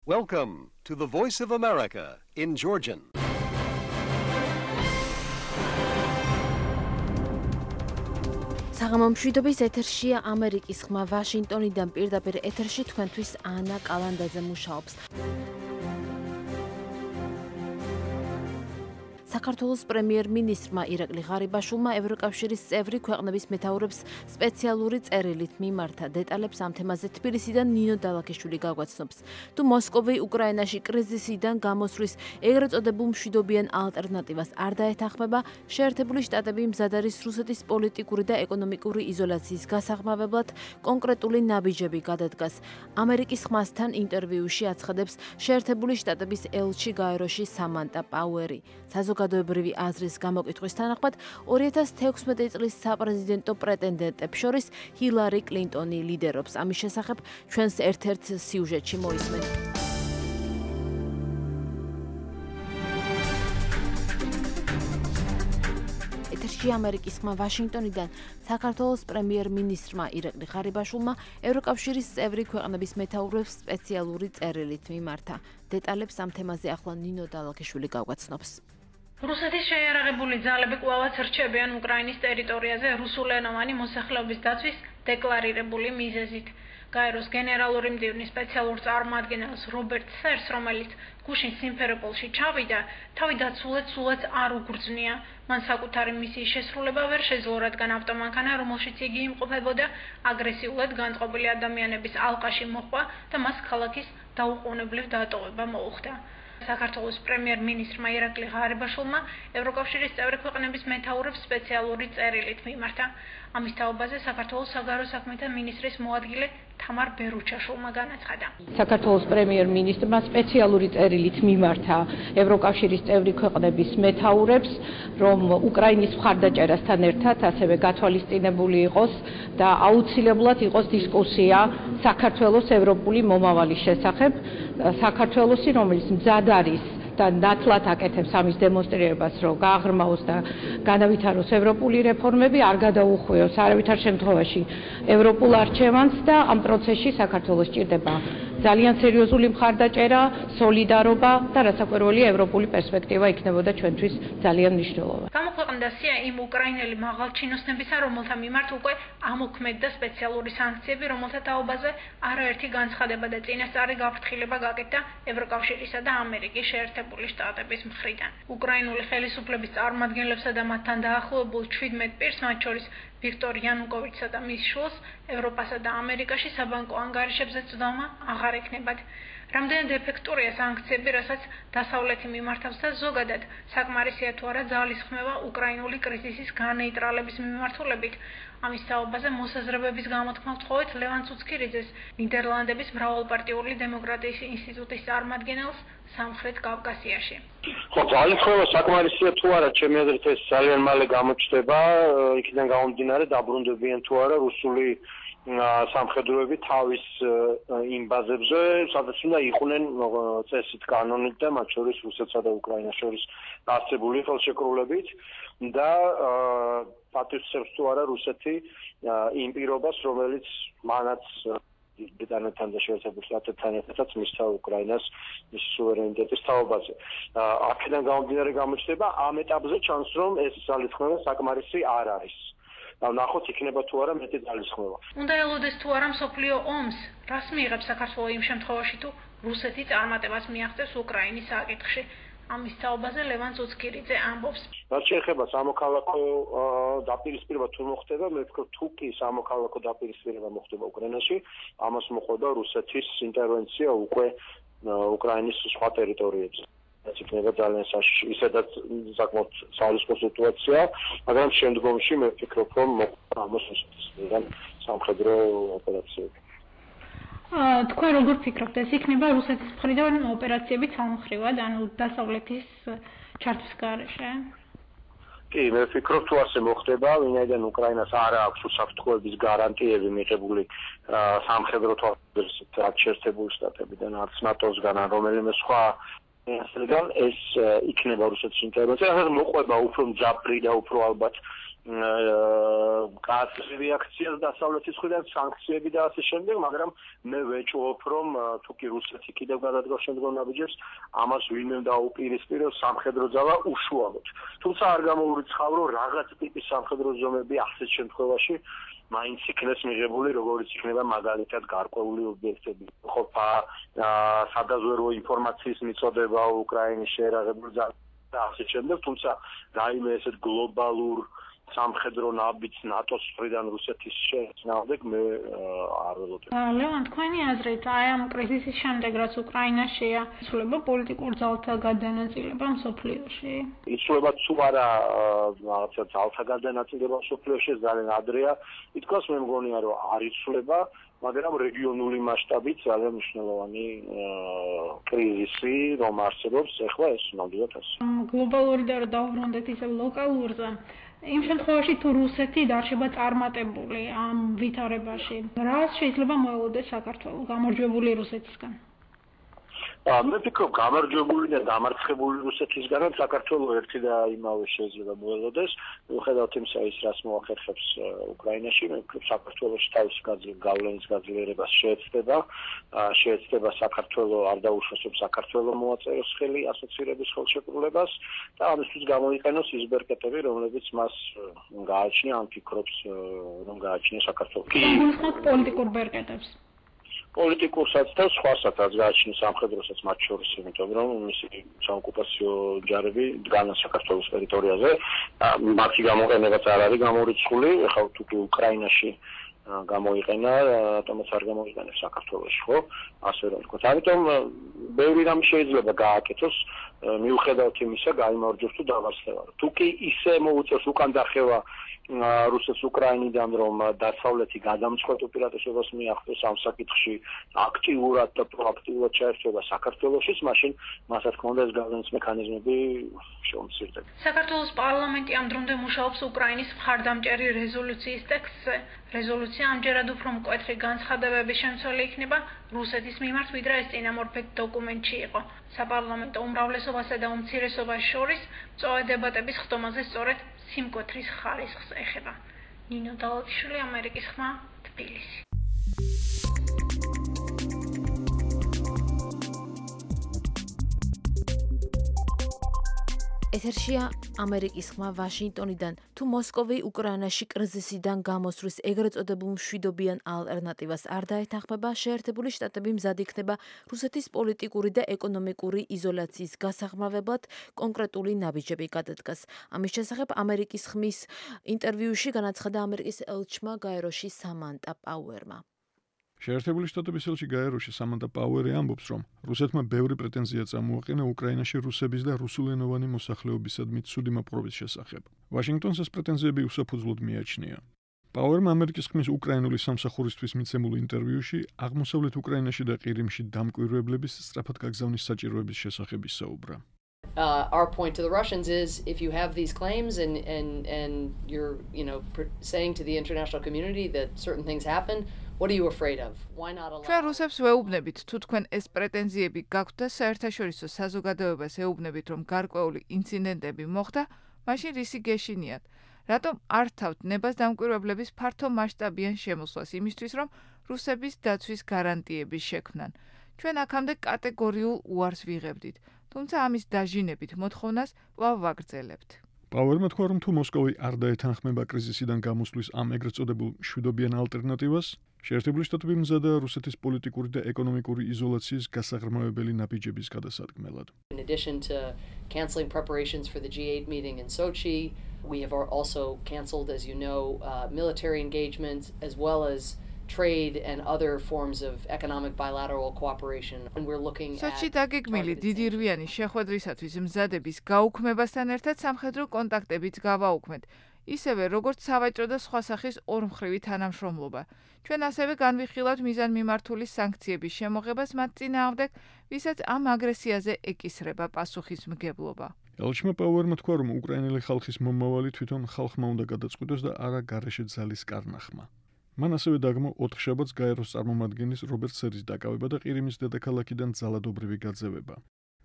Welcome to the Voice of America in Georgian. საღამო მშვიდობის ეთერშია ამერიკის ხმა ვაშინგტონიდან პირდაპირ ეთერში თქვენთვის ანა კალანდაძე მუშაობს. საქართველოს პრემიერ-მინისტრმა ირაკლი ღარიბაშვილმა ევროკავშირის წევრი ქვეყნების მეთაურებს სპეციალური წერილით მიმართა. დეტალებს ამ თემაზე თბილისიდან ნინო დალაქიშვილი გაგვაცნობს. თუ მოსკოვი უკრაინაში კრიზისიდან გამოსვლის ეგრეთ წოდებულ მშვიდობიან ალტერნატივას არ დაეთანხმება, შეერთებული შტატები მზად არის რუსეთის პოლიტიკური და ეკონომიკური იზოლაციის გასაღმავებლად კონკრეტული ნაბიჯები გადადგას. ამერიკის ხმასთან ინტერვიუში აცხადებს შეერთებული შტატების ელჩი გაეროში სამანტა პაუერი. საზოგადოებრივი აზრის გამოკითხვის თანახმად 2016 წლის საპრეზიდენტო პრეტენდენტებს შორის ჰილარი კლინტონი ლიდერობს. ამის შესახებ ჩვენს ერთ-ერთ სიუჟეტში მოისმენთ. ეთერში ამერიკის ხმა ვაშინგტონიდან საქართველოს პრემიერ-მინისტრმა ირაკლი ღარიბაშვილმა ევროკავშირის წევრი ქვეყნების მეთაურებს სპეციალური წერილით მიმართა. დეტალებს ამ თემაზე ახლა ნინო დალაქიშვილი გაგვაცნობს. რუსეთის შეიარაღებული ძალები კვლავაც რჩებიან უკრაინის ტერიტორიაზე რუსულენოვანი მოსახლეობის დაცვის დეკლარირებული მიზეზით. გაეროს გენერალური მდივნის სპეციალურ წარმომადგენელს რობერტ სერს, რომელიც გუშინ სიმფეროპოლში ჩავიდა, თავი დაცულად სულაც არ უგრძნია. მან საკუთარი მისიის შესრულება ვერ შეძლო, რადგან ავტომანქანა, რომელშიც იგი იმყოფებოდა, აგრესიულად განწყობილი ადამიანების ალყაში მოჰყვა და მას ქალაქის დაუყოვნებლივ დატოვება მოუხდა. საქართველოს პრემიერ-მინისტრმა ირაკლი ღარიბაშვილმა ევროკავშირის წევრი ქვეყნების მეთაურებს სპეციალური წერილით მიმართა. ამის თაობაზე საქართველოს საგარეო საქმეთა მინისტრის მოადგილე თამარ ბერუჩაშვილმა განაცხადა. საქართველოს პრემიერ-მინისტრმა სპეციალური წერილით მიმართა ევროკავშირის წევრი ქვეყნების მეთაურებს, რომ უკრაინის მხარდაჭერასთან ერთად ასევე გათვალისწინებული იყოს და აუცილებლად იყოს დისკუსია საქართველოს ევროპული მომავალის შესახებ. საქართველოსი, რომელიც მზად არის და ნათლად აკეთებს ამის დემონსტრირებას, რომ გააღრმაოს და განავითაროს ევროპული რეფორმები, არ გადაუხვიოს არავითარ შემთხვევაში ევროპულ არჩევანს და ამ პროცესში საქართველოს ჭირდება ძალიან სერიოზული მხარდაჭერა, სოლიდარობა და რასაკვირველია ევროპული პერსპექტივა იქნებოდა ჩვენთვის ძალიან მნიშვნელოვანი. გამოქვეყნდა სია იმ უკრაინელი მაღალჩინოსნებისა, რომელთა მიმართ უკვე ამოქმედდა სპეციალური სანქციები, რომელთა თაობაზე არაერთი განცხადება და წინასწარი გაფრთხილება გაკეთდა ევროკავშირისა და ამერიკის შეერთებული შტატების მხრიდან. უკრაინული ხელისუფლების წარმომადგენლებსა და მათთან დაახლოებულ 17 პირს, მათ შორის ვიქტორ იანუკოვიჩსა და მის შვილს, ევროპასა და ამერიკაში საბანკო ანგარიშებზე წვდომა აღარ ექნებათ. რამდენად ეფექტურია სანქციები, რასაც დასავლეთი მიმართავს და ზოგადად საკმარისია თუ არა ძალის ხმევა უკრაინული კრიზისის განეიტრალების მიმართულებით. ამის თაობაზე მოსაზრებების გამოთქმა ვთხოვეთ ლევან ცუცქირიძეს, ნიდერლანდების მრავალპარტიული დემოკრატიის ინსტიტუტის წარმომადგენელს სამხრეთ კავკასიაში. ხო, ძალის ხმევა საკმარისია თუ არა, ჩემი აზრით ეს ძალიან მალე გამოჩნდება, იქიდან გამომდინარე დაბრუნდებიან თუ არა რუსული სამხედროები თავის იმ ბაზებზე, სადაც უნდა იყვნენ წესით კანონით და მათ შორის რუსეთსა და უკრაინას შორის არსებული ხელშეკრულებით და პატივსცემს თუ არა რუსეთი იმ პირობას, რომელიც მანაც ბრიტანეთთან და შეერთებულ შტატებთან ერთადაც მისცა უკრაინას მის სუვერენიტეტის თაობაზე. აქედან გამომდინარე გამოჩნდება ამ ეტაპზე ჩანს, რომ ეს ძალისხმევა საკმარისი არ არის. ნახოთ იქნება თუ არა მეტი ძალისხმევა. უნდა ელოდეს თუ არა მსოფლიო ომს, რას მიიღებს საქართველო იმ შემთხვევაში, თუ რუსეთი წარმატებას მიაღწევს უკრაინის საკითხში. ამის თაობაზე ლევან ცუცქირიძე ამბობს. რაც შეეხება სამოქალაქო დაპირისპირება თუ მოხდება, მე ვფიქრობ თუ კი სამოქალაქო დაპირისპირება მოხდება უკრაინაში, ამას მოყვა რუსეთის ინტერვენცია უკვე უკრაინის სხვა ტერიტორიებზე. ეს იქნება ძალიან ისედაც საკმაოდ საალისყო სიტუაცია, მაგრამ შემდგომში მე ვფიქრობ, რომ მოხდა ამას რუსეთისგან სამხედრო ოპერაციები. თქვენ როგორ ფიქრობთ, ეს იქნება რუსეთის მხრიდან ოპერაციები სამხრივად, ანუ დასავლეთის ჩართვის გარეშე? კი, მე ვფიქრობ, თუ ასე მოხდება, ვინაიდან უკრაინას არ აქვს უსაფრთხოების გარანტიები მიღებული სამხედრო თვალსაზრისით, რაც შეერთებული შტატებიდან, არც ნატოსგან, ან რომელიმე სხვა ეს იქნება რუსეთის ინტერვენცია, რასაც მოყვება უფრო მძაფრი და უფრო ალბათ კაცრი რეაქციას დასავლეთის მხრიდან სანქციები და ასე შემდეგ, მაგრამ მე ვეჭვობ, რომ თუ კი რუსეთი კიდევ გადადგოს შემდგომ ნაბიჯებს, ამას ვინმე დაუპირისპიროს სამხედრო ძალა უშუალოდ. თუმცა არ გამოურიცხავ, რომ რაღაც ტიპის სამხედრო ზომები ასეთ შემთხვევაში მაინც იქნეს მიღებული, როგორც იქნება მაგალითად გარკვეული ობიექტები, ყოფა სადაზვერვო ინფორმაციის მიწოდება უკრაინის შეერაღებულ ძალებს და ასე შემდეგ, თუმცა რაიმე ესეთ გლობალურ სამხედრო ნაბიჯს ნატოს მხრიდან რუსეთის შეეცნავდეთ, მე არ ველოდებ. ლევან, თქვენი აზრით, აი ამ კრიზისის შემდეგ, რაც უკრაინაშია, იცვლება პოლიტიკურ ძალთა გადანაწილება მსოფლიოში? იცვლება თუ არა რაღაცა ძალთა გადანაწილება მსოფლიოში, ძალიან ადრეა. ითქვას, მე მგონია, რომ არ იცვლება, მაგრამ რეგიონული მასშტაბით ძალიან მნიშვნელოვანი კრიზისი რომ არსებობს, ეხლა ეს ნამდვილად ასე. გლობალური და დავბრუნდეთ ისე ლოკალურზე. იმ შემთხვევაში თუ რუსეთი დარჩება წარმატებული ამ ვითარებაში, რა შეიძლება მოელოდეს საქართველოს გამარჯვებული რუსეთისგან? მე ვფიქრობ, გამარჯვებული და დამარცხებული რუსეთისგანაც საქართველოს ერთი და იმავე შეიძლება მოელოდეს. მიუხედავად იმისა, ის რას მოახერხებს უკრაინაში, მე ვფიქრობ, საქართველოს თავის გავლენის გაძლიერებას შეეცდება საქართველოს არ დაუშვებს საქართველოს მოაწეროს ხელი ასოცირების ხელშეკრულებას და ამისთვის გამოიყენოს ის ბერკეტები, რომლებიც მას გააჩნია, ან ფიქრობს, რომ გააჩნია საქართველოს. პოლიტიკურ ბერკეტებს. პოლიტიკურსაც და სხვასაც გააჩნია სამხედროსაც მათ შორის, იმიტომ რომ მისი საოკუპაციო ჯარები დგანან საქართველოს ტერიტორიაზე, მათი გამოყენებაც არ არის გამორიცხული, ეხლა თუ უკრაინაში გამოიყენა, რატომაც არ გამოიყენებს საქართველოში, ხო? ასე რომ ვთქვათ. ამიტომ ბევრი რამ შეიძლება გააკეთოს, მიუხედავად იმისა, გაიმარჯვოს თუ დავარცხება. თუ კი ისე მოუწევს უკან დახევა რუსეთს უკრაინიდან, რომ დასავლეთი გადამწყვეტ უპირატესობას მიაღწევს ამ საკითხში აქტიურად და პროაქტიულად ჩაერთვება საქართველოშიც, მაშინ მას რა თქმა უნდა ეს გავლენის მექანიზმები შეუმცირდება. საქართველოს პარლამენტი ამ დრომდე მუშაობს უკრაინის მხარდამჭერი რეზოლუციის ტექსტზე. რეზოლუცია ამჯერად უფრო მკვეთრი განცხადებების შემცველი იქნება რუსეთის მიმართ, ვიდრე ეს წინამორბედ დოკუმენტში იყო. საპარლამენტო უმრავლესობასა და უმცირესობას შორის მწვავე დებატების ხდომაზე სწორედ სიმკვეთრის ხარისხს ეხება. ნინო დალოციშვილი, ამერიკის ხმა, თბილისი. ეთერშია ამერიკის ხმა ვაშინგტონიდან. თუ მოსკოვი უკრაინაში კრიზისიდან გამოსვლის ეგრეთ წოდებულ მშვიდობიან ალტერნატივას არ დაეთანხმება, შეერთებული შტატები მზად იქნება რუსეთის პოლიტიკური და ეკონომიკური იზოლაციის გასაღრმავებლად კონკრეტული ნაბიჯები გადადგას. ამის შესახებ ამერიკის ხმის ინტერვიუში განაცხადა ამერიკის ელჩმა გაეროში სამანტა პაუერმა. შეერთებული შტატების ელჩი გაეროში სამანტა პაუერი ამბობს, რომ რუსეთმა ბევრი პრეტენზია წამოაყენა უკრაინაში რუსების და რუსულენოვანი მოსახლეობისადმი ცუდი მოპყრობის შესახებ. ვაშინგტონს ეს პრეტენზიები უსაფუძვლოდ მიაჩნია. პაუერმა ამერიკის ხმის უკრაინული სამსახურისთვის მიცემულ ინტერვიუში აღმოსავლეთ უკრაინაში და ყირიმში დამკვირვებლების სწრაფად გაგზავნის საჭიროების შესახებ ისაუბრა. Our point to the Russians is if you have these claims and you're saying to the international community that certain things happen, what are you afraid of? Why not allow? ჩვენ რუსებს ვეუბნებით, თუ თქვენ ეს პრეტენზიები გაქვთ და საერთაშორისო საზოგადოებას ეუბნებით, რომ გარკვეული ინციდენტები მოხდა, მაშინ რისი გეშინიათ? რატომ არ თავთ ნებას დამკვირვებლების ფართო მასშტაბიან შემოსვლას იმისთვის, რომ რუსების დაცვის გარანტიების შექმნან? ჩვენ აქამდე კატეგორიულ უარს ვიღებდით, თუმცა ამის დაჟინებით მოთხოვნას კვლავ ვაგრძელებთ. პაუერმა თქვა, რომ თუ მოსკოვი არ დაეთანხმება კრიზისიდან გამოსვლის ამ ეგრეთ წოდებულ მშვიდობიან ალტერნატივას, შეერთებული შტატები მზადაა რუსეთის პოლიტიკური და ეკონომიკური იზოლაციის გასაღრმავებელი ნაბიჯების გადასადგმელად. In addition to canceling preparations for the G8 meeting in Sochi, we have also canceled, as you know, military engagement as well as trade and other forms of economic bilateral cooperation, and we're looking at Sochi დაგეგმილი დიდი რვიანი შეხვედრისათვის მზადების გაუქმებასთან ერთად სამხედრო კონტაქტებიც გავაუქმეთ, ისევე როგორც სავაჭრო და სხვა სახის ორმხრივი თანამშრომლობა. ჩვენ ასევე განვიხილავთ მიზანმიმართული სანქციების შემოღებას მათ წინააღმდეგ, ვისაც ამ აგრესიაზე ეკისრება პასუხისმგებლობა. ელჩმა პაუერმა თქვა, რომ უკრაინელი ხალხის მომავალი თვითონ ხალხმა უნდა გადაწყვიტოს და არა გარეშე ძალის კარნახმა. მან ასევე დაგმო 4 შაბათს გაეროს წარმომადგენლის რობერტ სერის დაკავება და ყირიმის დედაქალაქიდან ძალადობრივი გაძევება.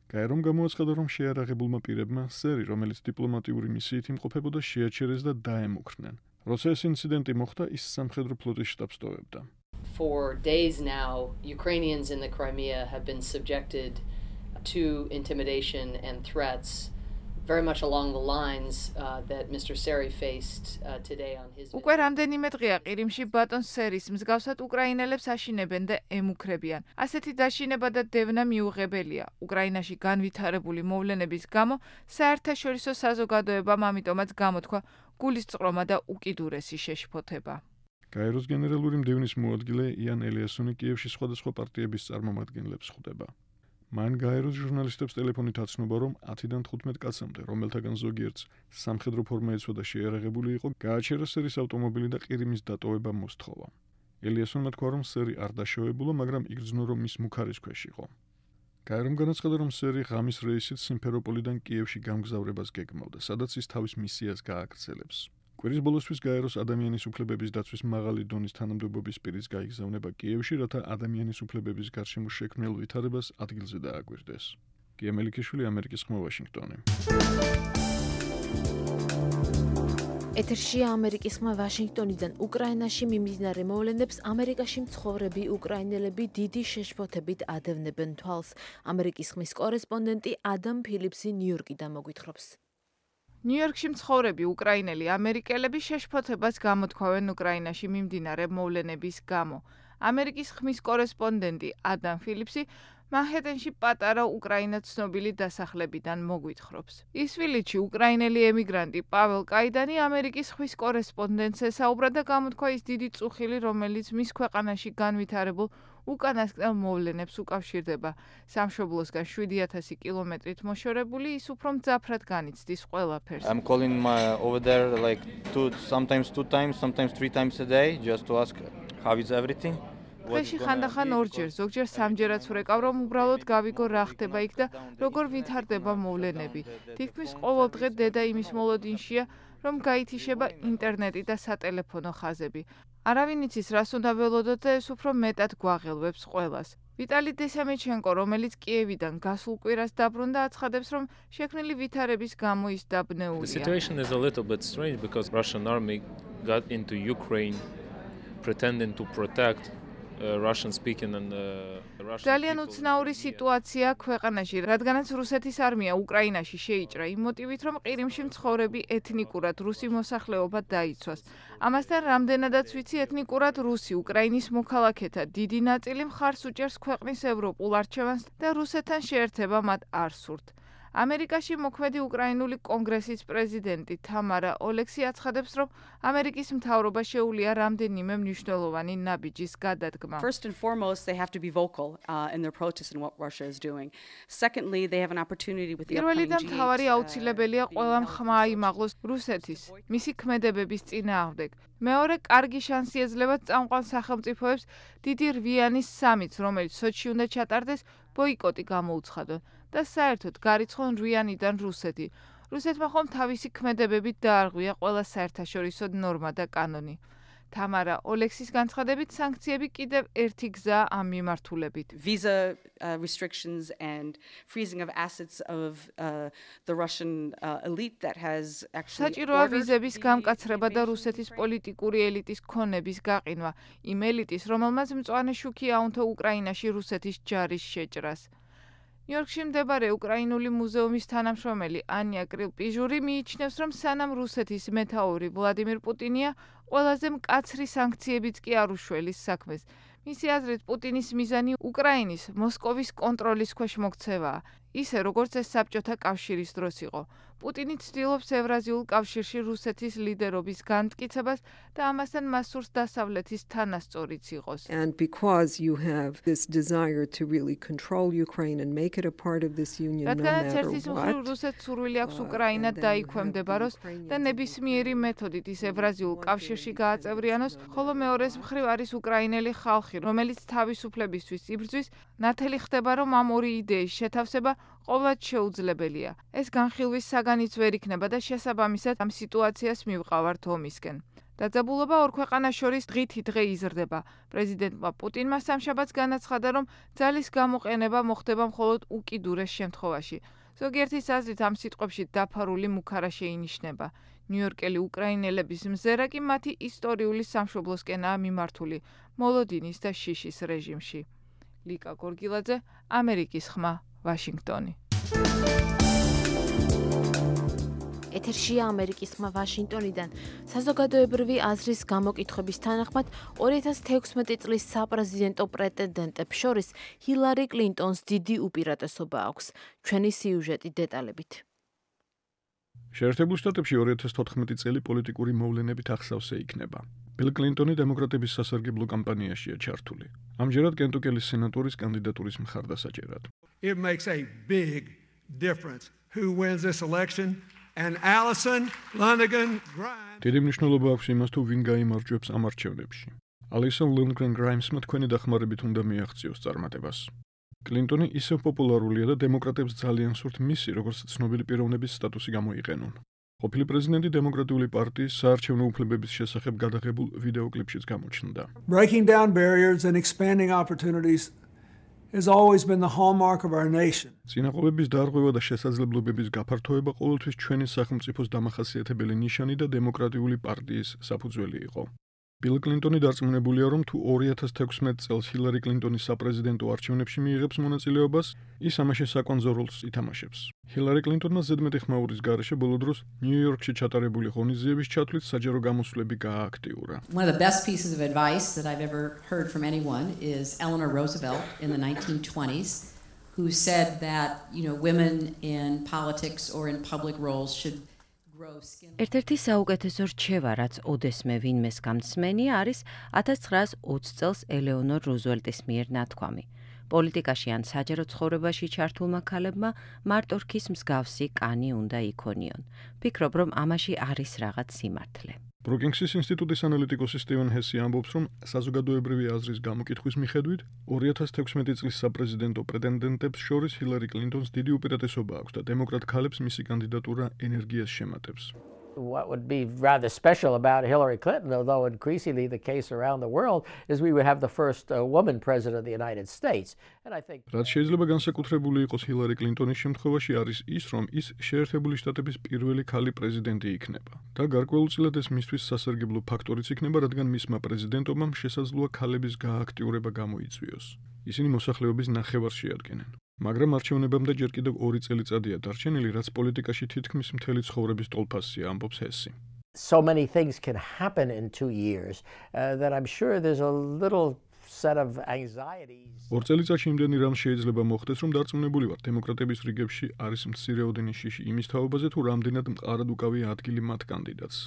გაერომ გამოაცხადა, რომ შეიარაღებულმა პირებმა სერი, რომელიც დიპლომატიური მისიით იმყოფებოდა, შეაჩერეს და დაემუქრნენ. როცა ეს ინციდენტი მოხდა, ის სამხედრო ფლოტის შტაბს ტოვებდა. For days now, Ukrainians in the Crimea have been subjected to intimidation and threats very much along the lines that Mr. Seri faced today on his უკვე რამდენიმე დღეა ყირიმში ბატონ სერის მსგავსად უკრაინელებს აშინებენ და ემუქრებიან. ასეთი დაშინება და დევნა მიუღებელია. უკრაინაში განვითარებული მოვლენების გამო საერთაშორისო საზოგადოებამ ამიტომაც გამოთქვა გულისწყრომა და უკიდურესი შეშფოთება. გაეროს გენერალური მდივნის მოადგილე იან ელიასონი კიევში სხვადასხვა პარტიების წარმომადგენლებს ხვდება. მან გაეროს ჟურნალისტებს ტელეფონით აცნობა, რომ 10-დან 15 კაცამდე, რომელთაგან ზოგიერთს სამხედრო ფორმა ეცვა და შეიარაღებული იყო, გააჩერა სერის ავტომობილი და ყირიმის დატოვება მოსთხოვა. ელიასონმა თქვა, რომ სერი არ დაშავებულა, მაგრამ იგრძნო, რომ მის მუქარის ქვეშ იყო. გაერომ განაცხადა, რომ სერი ღამის რეისით სიმფეროპოლიდან კიევში გამგზავრებას გეგმავდა, სადაც ის თავის მისიას გააგრძელებს. კვირის ბოლოსთვის გაეროს ადამიანის უფლებების დაცვის მაღალი დონის თანამდებობის პირის გაიგზავნება კიევში, რათა ადამიანის უფლებების გარშემო შექმნილ ვითარებას ადგილზე დააკვირდეს. გია მელიქიშვილი, ამერიკის ხმა, ვაშინგტონი. ეთერშია ამერიკის ხმა ვაშინგტონიდან. უკრაინაში მიმდინარე მოვლენებს ამერიკაში მცხოვრები უკრაინელები დიდი შეშფოთებით ადევნებენ თვალს. ამერიკის ხმის კორესპონდენტი ადამ ფილიპსი ნიუ-იორკიდან მოგვითხრობს. ნიუ-იორკში მცხოვრები უკრაინელი ამერიკელები შეშფოთებას გამოთქვავენ უკრაინაში მიმდინარე მოვლენების გამო. ამერიკის ხმის კორესპონდენტი ადამ ფილიპსი მანჰეტენში პატარა უკრაინად ცნობილი დასახლებიდან მოგვითხრობს. ისვილიჩი უკრაინელი ემიგრანტი პაվել კაიდანი ამერიკის ხმის კორესპონდენტს ესაუბრა და გამოთქვა ის დიდი წუხილი, რომელიც მის ქვეყანაში განვითარებულ უკანასკნელ მოვლენებს უკავშირდება. სამშობლოსგან 7000 კილომეტრით მოშორებული, ის უფრო მძაფრად განიცდის ყველაფერს. I'm calling over there like sometimes 2 times, sometimes 3 times a day just to ask how is everything. დღეში ხანდახან ორჯერ, ზოგჯერ სამჯერაც ვრეკავ, რომ უბრალოდ გავიგო რა ხდება იქ და როგორ ვითარდება მოვლენები. თითქმის ყოველ დღე დედა იმის მოლოდინშია, რომ გაითიშება ინტერნეტი და სატელეფონო ხაზები. არავინ იცის, რას უნდა ველოდოთ და ეს უფრო მეტად გვაღელვებს ყველას. ვიტალი დესამეჩენკო, რომელიც კიევიდან გასულ კვირას დაბრუნდა, აცხადებს, რომ შექმნილი ვითარების გამო ის დაბნეულია. The situation is a little bit strange because Russian army got into Ukraine pretending to protect Russian speaking and Russian ძალიან უცნაური სიტუაცია ქვეყანაში, რადგანაც რუსეთის არმია უკრაინაში შეიჭრა იმ მოტივით, რომ ყირიმში მცხოვრები ეთნიკურად რუსი მოსახლეობა დაიცვას. ამასთან რამდენადაც ვიცი, ეთნიკურად რუსი უკრაინის მოქალაქეთა დიდი ნაწილი მხარს უჭერს ქვეყნის ევროპულ არჩევანს და რუსეთთან შეერთება მათ არ სურთ. ამერიკაში მოქმედი უკრაინული კონგრესის პრეზიდენტი თამარა ოლექსი აცხადებს, რომ ამერიკის მთავრობა შეუძლია რამდენიმე მნიშვნელოვანი ნაბიჯის გადადგმა. First and foremost, they have to be vocal in their protests and what Russia is doing. Secondly, they have an opportunity with the პირველი და upcoming მთავარი აუცილებელია ყველა ხმა აიმაღლოს რუსეთის, მისი ქმედებების წინააღმდეგ. მეორე, კარგი შანსი ეძლევა წამყვან სახელმწიფოებს დიდი რვიანის სამიტს, რომელიც სოჩში უნდა ჩატარდეს, ბოიკოტი გამოუცხადონ და საერთოდ გარიცხონ რვიანიდან რუსეთი. რუსეთმა ხომ თავისი ქმედებებით დაარღვია ყველა საერთაშორისო ნორმა და კანონი. თამარა ოლექსის განცხადებით, სანქციები კიდევ ერთი გზაა ამ მიმართულებით. Visa restrictions and freezing of assets of the Russian elite that has actually საჭიროა ვიზების გამკაცრება და რუსეთის პოლიტიკური ელიტის ქონების გაყინვა. იმ ელიტის, რომელმაც მწვანე შუქი აუნთო უკრაინაში რუსეთის ჯარის შეჭრას. ნიუ-იორკში მდებარე უკრაინული მუზეუმის თანამშრომელი ანია კრილპიჟური მიიჩნევს, რომ სანამ რუსეთის მეთაური ვლადიმირ პუტინია, ყველაზე მკაცრი სანქციებიც კი არ უშველის საქმეს. მისი აზრით, პუტინის მიზანი უკრაინის მოსკოვის კონტროლის ქვეშ მოქცევაა, ისე როგორც ეს საბჭოთა კავშირის დროს იყო. პუტინი ცდილობს ევრაზიულ კავშირში რუსეთის ლიდერობის განმტკიცებას და ამასთან მას სურს დასავლეთის თანასწორიც იყოს. And because you have this desire to really control Ukraine and make it a part of this union no რადგანაც matter ერთის მხრივ what. რუსეთს სურვილი აქვს უკრაინა დაიქვემდებაროს და ნებისმიერი მეთოდით ის ევრაზიულ კავშირში გააწევრიანოს, ხოლო მეორეს მხრივ არის უკრაინელი ხალხი, რომელიც თავისუფლებისთვის იბრძვის, ნათელი ხდება, რომ ამ ორი იდეის შეთავსება ყოვლად შეუძლებელია. ეს განხილვის საგანიც ვერ იქნება და შესაბამისად ამ სიტუაციას მივყავართ ომისკენ. დაძაბულობა ორ ქვეყანას შორის დღითი დღე იზრდება. პრეზიდენტმა პუტინმა სამშაბათს განაცხადა, რომ ძალის გამოყენება მოხდება მხოლოდ უკიდურეს შემთხვევაში. ზოგიერთის აზრით ამ სიტყვებში დაფარული მუქარა შეინიშნება. ნიუ-იორკელი უკრაინელების მზერა კი მათი ისტორიული სამშობლოსკენაა მიმართული მოლოდინის და შიშის რეჟიმში. ლიკა გორგილაძე, ამერიკის ხმა, ვაშინგტონი. ეთერშია ამერიკის ხმა ვაშინგტონიდან. საზოგადოებრივი აზრის გამოკითხების თანახმად 2016 წლის საპრეზიდენტო პრეტენდენტებს შორის ჰილარი კლინტონს დიდი უპირატესობა აქვს. ჩვენი სიუჟეტი დეტალებით. შეერთებულ შტატებში 2014 წელი პოლიტიკური მოვლენებით ახსავსე იქნება. ბილ კლინტონი დემოკრატების სასარგებლო კამპანიაშია ჩართული. ამჯერად კენტუკელის სენატორის კანდიდატურის მხარდასაჭერად. It makes a big difference who wins this election. And Alison Lundgren Grimes. დიდი მნიშვნელობა აქვს იმას, თუ ვინ გაიმარჯვებს ამ არჩევნებში. Alison Lundgren Grimesმა თქვენი დახმარებით უნდა მიაღწიოს წარმატებას. კლინტონი ისევ პოპულარულია და დემოკრატებს ძალიან სურთ მისი, როგორც ცნობილი პიროვნების სტატუსი გამოიყენონ. ყოფილი პრეზიდენტი დემოკრატიული პარტიის საარჩევნო უფლებების შესახებ გადაღებულ ვიდეოკლიპშიც გამოჩნდა. Breaking down barriers and expanding opportunities has always been the hallmark of our nation. წინააღმდეგობის დარღვევა და შესაძლებლობების გაფართოება ყოველთვის ჩვენი სახელმწიფოს დამახასიათებელი ნიშანი და დემოკრატიული პარტიის საფუძველი იყო. ბილ კლინტონი დარწმუნებულია, რომ თუ 2016 წელს ჰილარი კლინტონი საპრეზიდენტო არჩევნებში მიიღებს მონაწილეობას, ის ამაში საკვანძო როლს ითამაშებს. ჰილარი კლინტონმა ზედმეტი ხმაურის გარეშე ბოლო დროს ნიუ-იორკში ჩატარებული ღონისძიების ჩათვლით საჯარო გამოსვლები გაააქტიურა. One of the best pieces of advice that I've ever heard from anyone is Eleanor Roosevelt in the 1920s, who said that, women in politics or in public roles should ერთ-ერთი საუკეთესო რჩევა, რაც ოდესმე ვინმეს გამცმენია, არის 1920 წელს ელეონორ რუზველტის მიერ ნათქვამი. პოლიტიკაში ან საჯარო ცხოვრებაში ჩართულმა ქალებმა მარტო რქის მსგავსი კანი უნდა იქონიონ. ფიქრობ, რომ ამაში არის რაღაც სიმართლე. ბრუკინგსის ინსტიტუტის ანალიტიკოსი სტივენ ჰესი ამბობს, რომ საზოგადოებრივი აზრის გამოკითხვის მიხედვით 2016 წლის საპრეზიდენტო პრეტენდენტებს შორის ჰილარი კლინტონს დიდი უპირატესობა აქვს და დემოკრატ ქალებს მისი კანდიდატურა ენერგიას შემატებს. What would be rather special about Hillary Clinton, although increasingly the case around the world, is we would have the first woman president of the United States. And I think რაც შეიძლება განსაკუთრებული იყოს ჰილარი კლინტონის შემთხვევაში არის ის, რომ ის შეერთებული შტატების პირველი ქალი პრეზიდენტი იქნება. და გარკვეულწილად ეს მისთვის სასარგებლო ფაქტორიც იქნება, რადგან მისმა პრეზიდენტობამ შესაძლოა ქალების გააქტიურება გამოიწვიოს. ისინი მოსახლეობის ნახევარს შეადგენენ. მაგრამ არჩევნებამდე ჯერ კიდევ 2 წელიწადია დარჩენილი, რაც პოლიტიკაში თითქმის მთელი ცხოვრების ტოლფასია, ამბობს ჰესი. So many things can happen in 2 years that I'm sure there's a little set of anxieties. 2 წელიწადში იმდენი რამ შეიძლება მოხდეს, რომ დარწმუნებული ვარ, დემოკრატების რიგებში არის მცირეოდენი შიში იმის თაობაზე, თუ რამდენად მყარად უკავია ადგილი მათ კანდიდატს.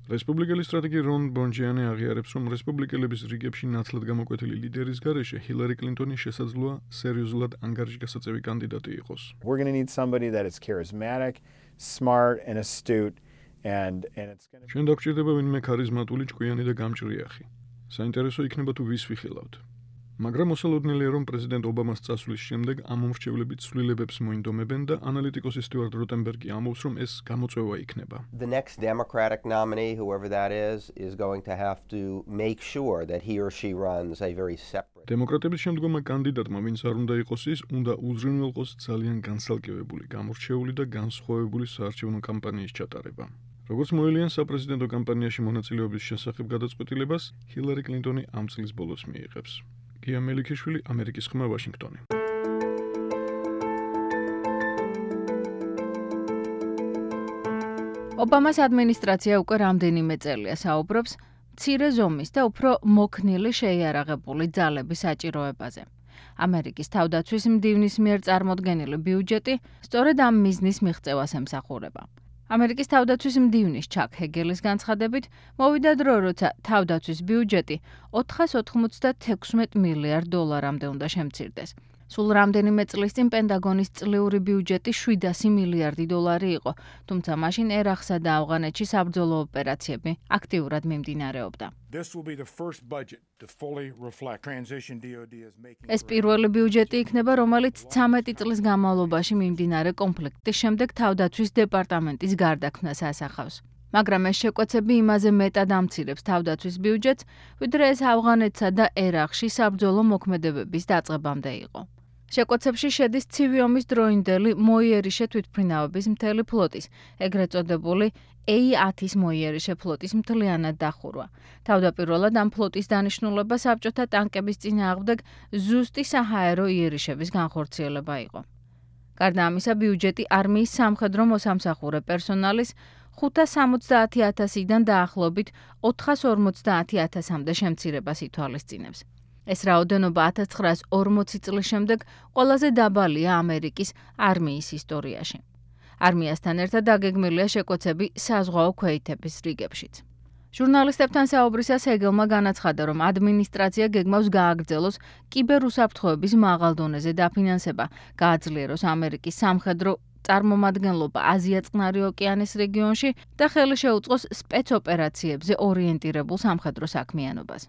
რესპუბლიკელი სტრატეგი რონ ბონჯიანი აღიარებს, რომ რესპუბლიკელების რიგებში ნაცვლად გამოკვეთილი ლიდერის გარეშე ჰილარი კლინტონი შესაძლოა სერიოზულად ანგარიშგასაწევი კანდიდატი იყოს. We're going to need somebody that is charismatic, smart and astute and it's going to ჩვენ დაგჭირდება ვინმე ქარიზმატული, ჭკვიანი და გამჭრიახი. საინტერესო იქნება თუ ვის ვიხილავთ. მაგრამ მოსალოდნელია, რომ პრეზიდენტ ობამას წასვლის შემდეგ ამ მომრჩევლები ცვლილებებს მოინდომებენ და ანალიტიკოსი სტიუარტ როტენბერგი ამბობს, რომ ეს გამოწვევა იქნება. The next Democratic nominee, whoever that is going to have to make sure that he or she runs a very separate. დემოკრატების შემდგომმა კანდიდატმა, ვინც არ უნდა იყოს ის, უნდა უზრუნველყოს ძალიან განსალკევებული, გამორჩეული და განსხვავებული საარჩევნო კამპანიის ჩატარება. როგორც მოელიან საპრეზიდენტო კამპანიაში მონაწილეობის შესახებ გადაწყვეტილებას, ჰილარი კლინტონი ამ წლის ბოლოს მიიღებს. გია მელიქიშვილი, ამერიკის ხმა, ვაშინგტონი. ობამას ადმინისტრაცია უკვე რამდენიმე წელია საუბრობს მცირე ზომის და უფრო მოქნილი შეიარაღებული ძალების საჭიროებაზე. ამერიკის თავდაცვის მდივნის მიერ წარმოდგენილი ბიუჯეტი სწორედ ამ მიზნის მიღწევას ემსახურება. ამერიკის თავდაცვის მდივნის ჩაკ ჰეგელის განცხადებით, მოვიდა დრო, როცა თავდაცვის ბიუჯეტი 496 მილიარდ დოლარამდე უნდა შემცირდეს. სულ რამდენიმე წლის წინ პენტაგონის წლიური ბიუჯეტი 700 მილიარდი დოლარი იყო, თუმცა მაშინ ერახსა და ავღანეთში საბრძოლო ოპერაციები აქტიურად მიმდინარეობდა. ეს პირველი ბიუჯეტი იქნება, რომელიც 13 წლის განმავლობაში მიმდინარე კონფლიქტის შემდეგ თავდაცვის დეპარტამენტის გარდაქმნას ასახავს. მაგრამ ეს შეკვეცები იმაზე მეტად ამცირებს თავდაცვის ბიუჯეტს, ვიდრე ეს ავღანეთსა და ერაყში საბრძოლო მოქმედებების დაწყებამდე იყო. შეკვეცებში შედის ცივი ომის დროინდელი მოიერიშე თვითმფრინავების მთელი ფლოტის, ეგრეთ წოდებული A-10-ის მოიერიშე ფლოტის მთლიანად დახურვა. თავდაპირველად ამ ფლოტის დანიშნულება საბჭოთა ტანკების წინააღმდეგ ზუსტი საჰაერო იერიშების განხორციელება იყო. გარდა ამისა, ბიუჯეტი არმიის სამხედრო მოსამსახურე პერსონალის 570,000-დან დაახლოებით 450,000-მდე შემცირებას ითვალისწინებს. ეს რაოდენობა 1940 წლის შემდეგ ყველაზე დაბალია ამერიკის არმიის ისტორიაში. არმიასთან ერთად დაგეგმილია შეკვეცები საზღვაო ქვეითების რიგებშიც. ჟურნალისტებთან საუბრისას ჰეგელმა განაცხადა, რომ ადმინისტრაცია გეგმავს გააგრძელოს კიბერუსაფრთხოების მაღალ დონეზე დაფინანსება, გააძლიეროს ამერიკის სამხედრო წარმომადგენლობა აზია-წყნარი ოკეანის რეგიონში და ხელი შეუწყოს სპეცოპერაციებზე ორიენტირებულ სამხედრო საქმიანობას.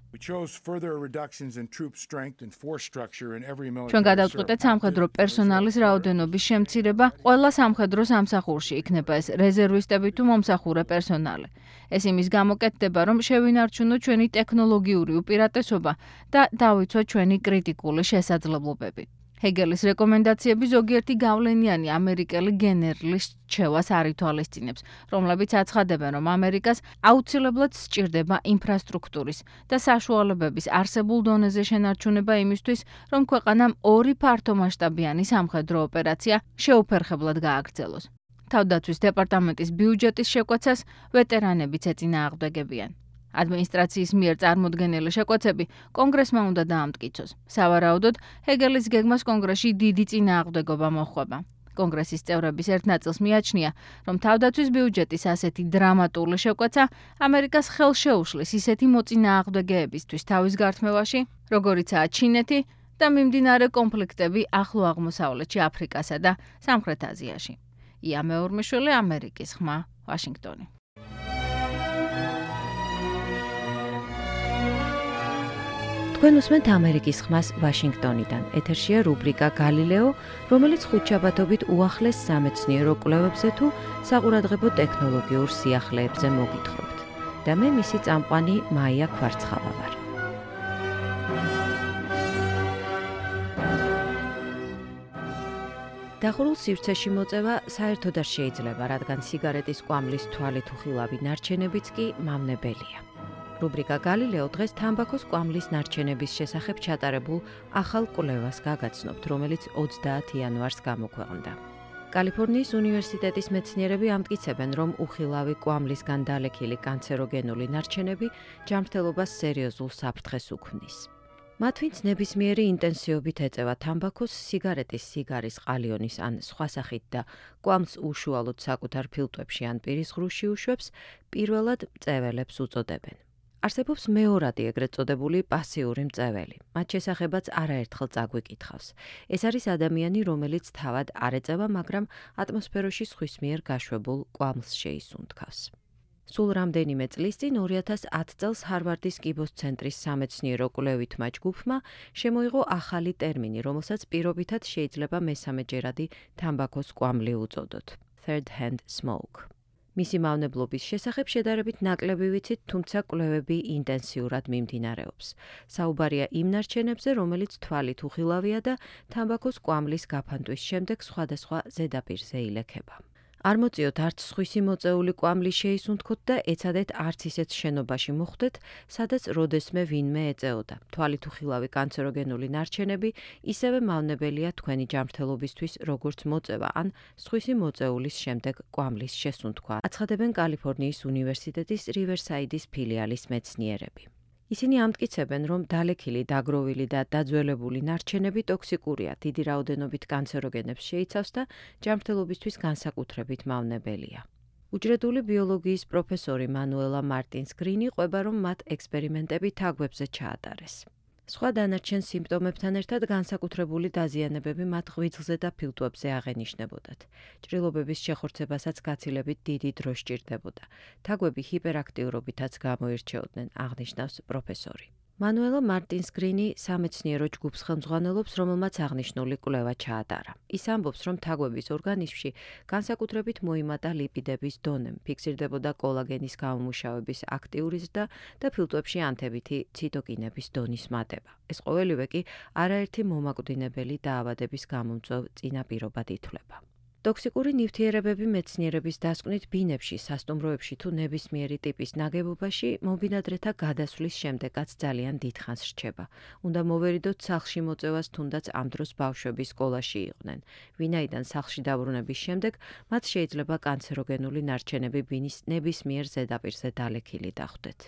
ჩვენ გადავწყვეტეთ სამხედრო პერსონალის რაოდენობის შემცირება ყველა სამხედრო სამსახურში, იქნება ეს რეზერვისტები თუ მომსახურე პერსონალი. ეს იმის გამოკეთდება, რომ შევინარჩუნოთ ჩვენი ტექნოლოგიური უპირატესობა და დავიცვათ ჩვენი კრიტიკული შესაძლებლობები. ჰეგელის რეკომენდაციები ზოგიერთი გავლენიანი ამერიკელი გენერლის რჩევას არ ითვალისწინებს, რომლებიც აცხადებენ, რომ ამერიკას აუცილებლად სჭირდება ინფრასტრუქტურის და საშუალებების არსებულ დონეზე შენარჩუნება იმისთვის, რომ ქვეყანამ ორი ფართომასშტაბიანი სამხედრო ოპერაცია შეუფერხებლად გააგრძელოს. თავდაცვის დეპარტამენტის ბიუჯეტის შეკვეცას ვეტერანებიც ეწინააღმდეგებიან. ადმინისტრაციის მიერ წარმოდგენილი შეკვეცები კონგრესმა უნდა დაამტკიცოს. სავარაუდოდ, ჰეგელის გეგმას კონგრესში დიდი წინააღმდეგობა მოჰყვება. კონგრესის წევრების ერთ ნაწილს მიაჩნია, რომ თავდაცვის ბიუჯეტის ასეთი დრამატული შეკვეცა ამერიკას ხელს შეუშლის ისეთი მოწინააღმდეგეებისთვის თავის გართმევაში, როგორიცაა ჩინეთი და მიმდინარე კონფლიქტები ახლო აღმოსავლეთში, აფრიკასა და სამხრეთ აზიაში. ია მეორმიშვილი, ამერიკის ხმა, ვაშინგტონი. თქვენ უსმენთ ამერიკის ხმას ვაშინგტონიდან. ეთერშია რუბრიკა გალილეო, რომელიც ხუთშაბათობით უახლეს სამეცნიერო კვლევებზე თუ საყურადღებო ტექნოლოგიურ სიახლეებზე მოგითხრობთ. და მე მისი წამყვანი მაია ქვარცხავა ვარ. დახურულ სივრცეში მოწევა საერთოდ არ შეიძლება, რადგან სიგარეტის კვამლის თვალით უხილავი ნარჩენებიც კი მავნებელია. რუბრიკა გალილეო დღეს თამბაქოს კვამლის ნარჩენების შესახებ ჩატარებულ ახალ კვლევას გაგაცნობთ, რომელიც 30 იანვარს გამოქვეყნდა. კალიფორნიის უნივერსიტეტის მეცნიერები ამტკიცებენ, რომ უხილავი კვამლისგან დალექილი კანცეროგენული ნარჩენები ჯანმრთელობას სერიოზულ საფრთხეს უქმნის. მათ ვინც ნებისმიერი ინტენსივობით ეწევა თამბაქოს, სიგარეტის, სიგარის, ყალიონის ან სხვა სახით და კვამლს უშუალოდ საკუთარ ფილტვებში ან პირის ღრუში უშვებს, პირველად მწეველებს უწოდებენ. არსებობს მეორადი ეგრეთ წოდებული პასიური მწეველი. მათ შესახებაც არაერთხელ წაგვიკითხავს. ეს არის ადამიანი, რომელიც თავად არ ეწევა, მაგრამ ატმოსფეროში სხვის მიერ გაშვებულ კვამლს შეისუნთქავს. სულ რამდენიმე წლის წინ 2010 წელს ჰარვარდის კიბოს ცენტრის სამეცნიერო კვლევითმა ჯგუფმა შემოიღო ახალი ტერმინი, რომელსაც პირობითად შეიძლება მესამეჯერადი თამბაქოს კვამლი უწოდოთ. Third hand smoke. მისი მავნებლობის შესახებ შედარებით ნაკლები ვიცით, თუმცა კვლევები ინტენსიურად მიმდინარეობს. საუბარია იმ ნარჩენებზე, რომელიც თვალით უხილავია და თამბაქოს კვამლის გაფანტვის შემდეგ სხვადასხვა ზედაპირზე ილექება. არ მოწიოთ არც სხვისი მოწეული კვამლი შეისუნთქოთ და ეცადეთ არც ისეთ შენობაში მოხვდეთ, სადაც როდესმე ვინმე ეწეოდა. თვალით უხილავი კანცეროგენული ნარჩენები ისევე მავნებელია თქვენი ჯანმრთელობისთვის, როგორც მოწევა ან სხვისი მოწეულის შემდეგ კვამლის შესუნთქვა, აცხადებენ კალიფორნიის უნივერსიტეტის რივერსაიდის ფილიალის მეცნიერები. ისინი ამტკიცებენ, რომ დალექილი, დაგროვილი და დაძველებული ნარჩენები ტოქსიკურია, დიდი რაოდენობით კანცეროგენებს შეიცავს და ჯანმრთელობისთვის განსაკუთრებით მავნებელია. უჯრედული ბიოლოგიის პროფესორი მანუელა მარტინს გრინი ყვება, რომ მათ ექსპერიმენტები თაგვებზე ჩაატარეს. სხვა დანარჩენ სიმპტომებთან ერთად განსაკუთრებული დაზიანებები მათ ღვიძლზე და ფილტვებზე აღენიშნებოდათ. ჭრილობების შეხორცებასაც გაცილებით დიდი დრო სჭირდებოდა. თაგვები ჰიპერაქტიურობითაც გამოირჩეოდნენ, აღნიშნავს პროფესორი. მანუელა მარტინს გრინი სამეცნიერო ჯგუფს ხელმძღვანელობს, რომელმაც აღნიშნული კვლევა ჩაატარა. ის ამბობს, რომ თაგვების ორგანიზმში განსაკუთრებით მოიმატა ლიპიდების დონემ, ფიქსირდებოდა კოლაგენის გამომუშავების აქტიური ზრდა და ფილტვებში ანთებითი ციტოკინების დონის მატება. ეს ყოველივე კი არაერთი მომაკვდინებელი დაავადების გამომწვევ წინაპირობად ითვლება. ტოქსიკური ნივთიერებები მეცნიერების დასკვნით ბინებში, სასტუმროებში თუ ნებისმიერი ტიპის ნაგებობაში მობინადრეთა გადასვლის შემდეგაც ძალიან დიდხანს რჩება. უნდა მოვერიდოთ სახლში მოწევას, თუნდაც ამ დროს ბავშვები სკოლაში იყვნენ. ვინაიდან სახლში დაბრუნების შემდეგ მათ შეიძლება კანცეროგენული ნარჩენები ბინის ნებისმიერ ზედაპირზე დალექილი დახვდეთ.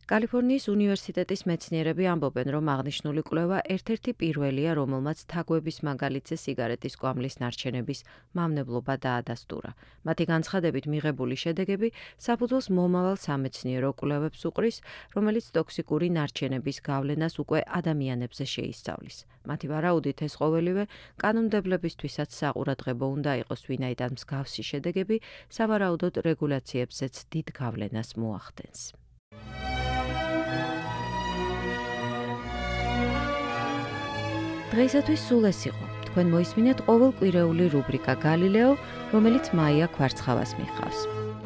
კალიფორნიის უნივერსიტეტის მეცნიერები ამბობენ, რომ აღნიშნული კვლევა ერთ-ერთი პირველია, რომელმაც თაგვების მაგალითზე სიგარეტის კვამლის ნარჩენების მავნებლობა დაადასტურა. მათი განცხადებით მიღებული შედეგები საფუძველს მომავალ სამეცნიერო კვლევებს უყრის, რომელიც ტოქსიკური ნარჩენების გავლენას უკვე ადამიანებზე შეისწავლის. მათი ვარაუდით ეს ყოველივე კანონმდებლებისთვისაც საყურადღებო უნდა იყოს, ვინაიდან მსგავსი შედეგები სავარაუდოდ რეგულაციებზეც დიდ გავლენას მოახდენს. დღეისათვის სულ ეს იყო. თქვენ მოისმინეთ ყოველკვირეული რუბრიკა გალილეო, რომელიც მაია ქვარცხავას მიხავს.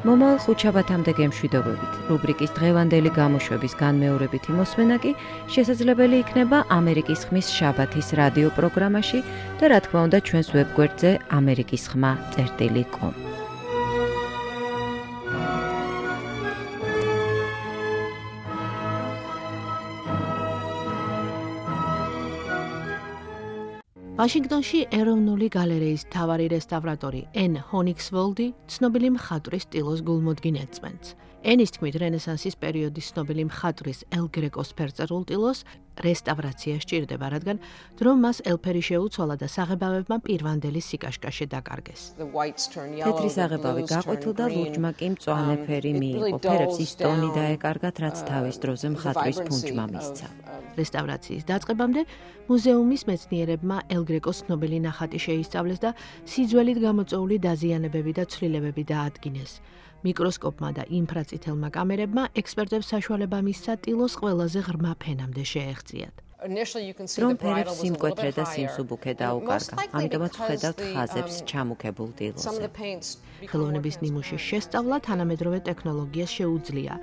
მომავალ ხუთშაბათამდე გემშვიდობებით. რუბრიკის დღევანდელი გამოშვების განმეორებითი მოსმენა კი შესაძლებელი იქნება ამერიკის ხმის შაბათის რადიო პროგრამაში და რა თქმა უნდა ჩვენს ვებგვერდზე amerikisxma.com. ვაშინგტონში ეროვნული გალერეის მთავარი რესტავრატორი ენ ჰონიქსვოლდი ცნობილი მხატვრის სტილოს გულმოდგინ ეწმენს. ენის თქმით, რენესანსის პერიოდის ცნობილი მხატვრის ელ გრეკოს ფერწერულ ტილოს რესტავრაცია სჭირდება, რადგან დრომ მას ელფერი შეუცვალა და საღებავებმა პირვანდელი სიკაშკაშე დაკარგეს. თეთრი საღებავი გაყვითლდა, ლურჯმა კი მწვანე ფერი მიიღო. ფერებს ის ტონი დაეკარგათ, რაც თავის დროზე მხატვრის ფუნჯმა მისცა. რესტავრაციის დაწყებამდე მუზეუმის მეცნიერებმა ელ გრეკოს ცნობილი ნახატი შეისწავლეს და სიძველით გამოწვეული დაზიანებები და ცვლილებები დაადგინეს. მიკროსკოპმა და ინფრაწითელმა კამერებმა ექსპერტებს საშუალება მისცა ტილოს ყველაზე ღრმა ფენამდე შეეღწიათ. რომ ფერებს სიმკვეთრე და სიმსუბუქე დაუკარგა, ამიტომაც ვხედავთ ხაზებს ჩამუქებულ ტილოზე. ხელოვნების ნიმუშის შესწავლა თანამედროვე ტექნოლოგიას შეუძლია,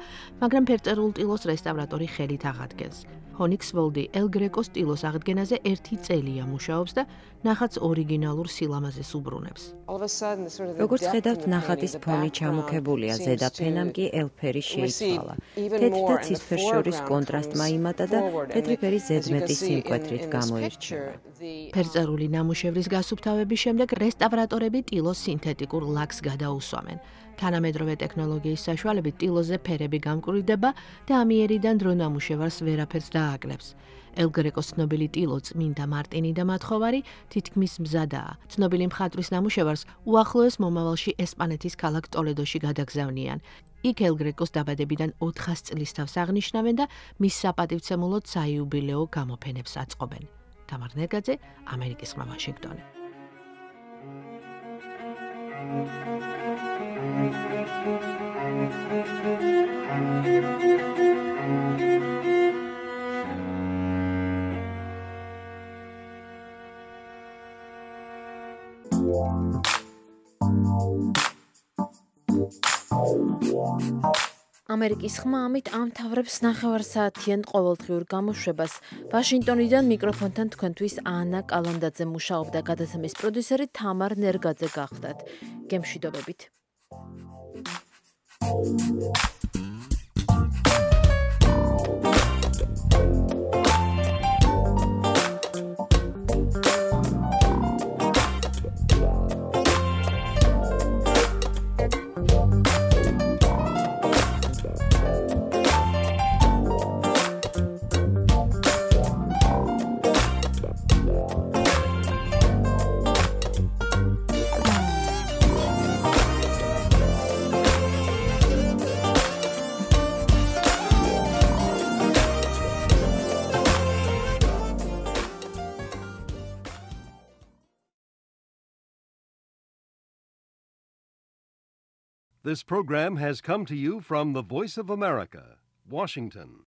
მაგრამ ფერწერულ ტილოს რესტავრატორი ხელით აღადგენს. ჰონიქსვოლდი ელ გრეკოს ტილოს აღდგენაზე 1 წელია მუშაობს და ნახატს ორიგინალურ სილამაზეს უბრუნებს. როგორც ხედავთ, ნახატის ფონი ჩამუქებულია, ზედა ფენამ კი ელფერი შეიცვალა. თეთრ და ცისფერს შორის კონტრასტმა იმატა და თეთრი ფერი ზედმეტი სიმკვეთრით გამოირჩევა. ფერწერული ნამუშევრის გასუფთავების შემდეგ რესტავრატორები ტილოს სინთეტიკურ ლაკს გადაუსვამენ. თანამედროვე ტექნოლოგიის საშუალებით ტილოზე ფერები გამკვრივდება და ამიერიდან დრო ნამუშევარს ვერაფერს დააკლებს. ელ გრეკოს ცნობილი ტილო წმინდა მარტინი და მათხოვარი თითქმის მზადაა. ცნობილი მხატვრის ნამუშევარს უახლოეს მომავალში ესპანეთის ქალაქ ტოლედოში გადაგზავნიან. იქ ელ გრეკოს დაბადებიდან 400 წლის თავს აღნიშნავენ და მის საპატივცემულოდ საიუბილეო გამოფენებს აწყობენ. თამარ ნერგაძე, ამერიკის ხმა, ვაშინგტონი. ამერიკის ხმა ამით ამთავრებს ნახევარსაათიან ყოველდღიურ გამოშვებას. ვაშინგტონიდან მიკროფონთან თქვენთვის ანა კალანდაძე მუშაობდა, გადაცემის პროდიუსერი თამარ ნერგაძე გახლდათ. გემშვიდობებით. This program has come to you from the Voice of America, Washington.